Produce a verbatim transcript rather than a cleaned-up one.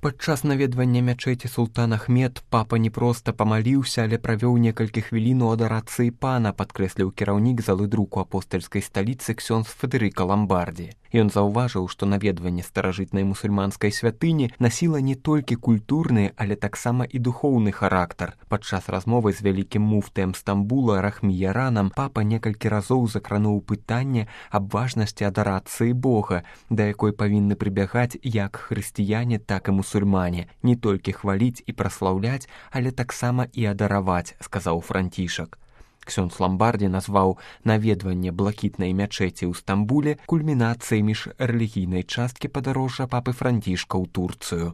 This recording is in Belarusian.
Падчас наведвання мячэці султан Ахмед папа не проста памаліўся, але правёў некалькі хвілін у адарацыі пана, падкрэсліў кіраўнік залы друку апостальскай сталіцы ксёндз Федэрыка Ламбардзі. Ён заўважыў, што наведванне старажытнай мусульманскай святыні насіла не толькі культурны, але таксама і духоўны характар. Падчас размовы з вялікім муфтыем Стамбула Рахміяранам папа некалькі разоў закрануў пытанне аб важнасці адарацыі Бога, да якой павінны прыбягаць як хрысціяне, так і мусульмане, не толькі хваліць і праслаўляць, але таксама і адараваць, сказаў Францішак. Ксёндз Ламбардзі назваў наведванне блакітнай мячэці ў Стамбуле кульмінацыяй міжрэлігійнай часткі падарожжа папы Францішка ў Турцыю.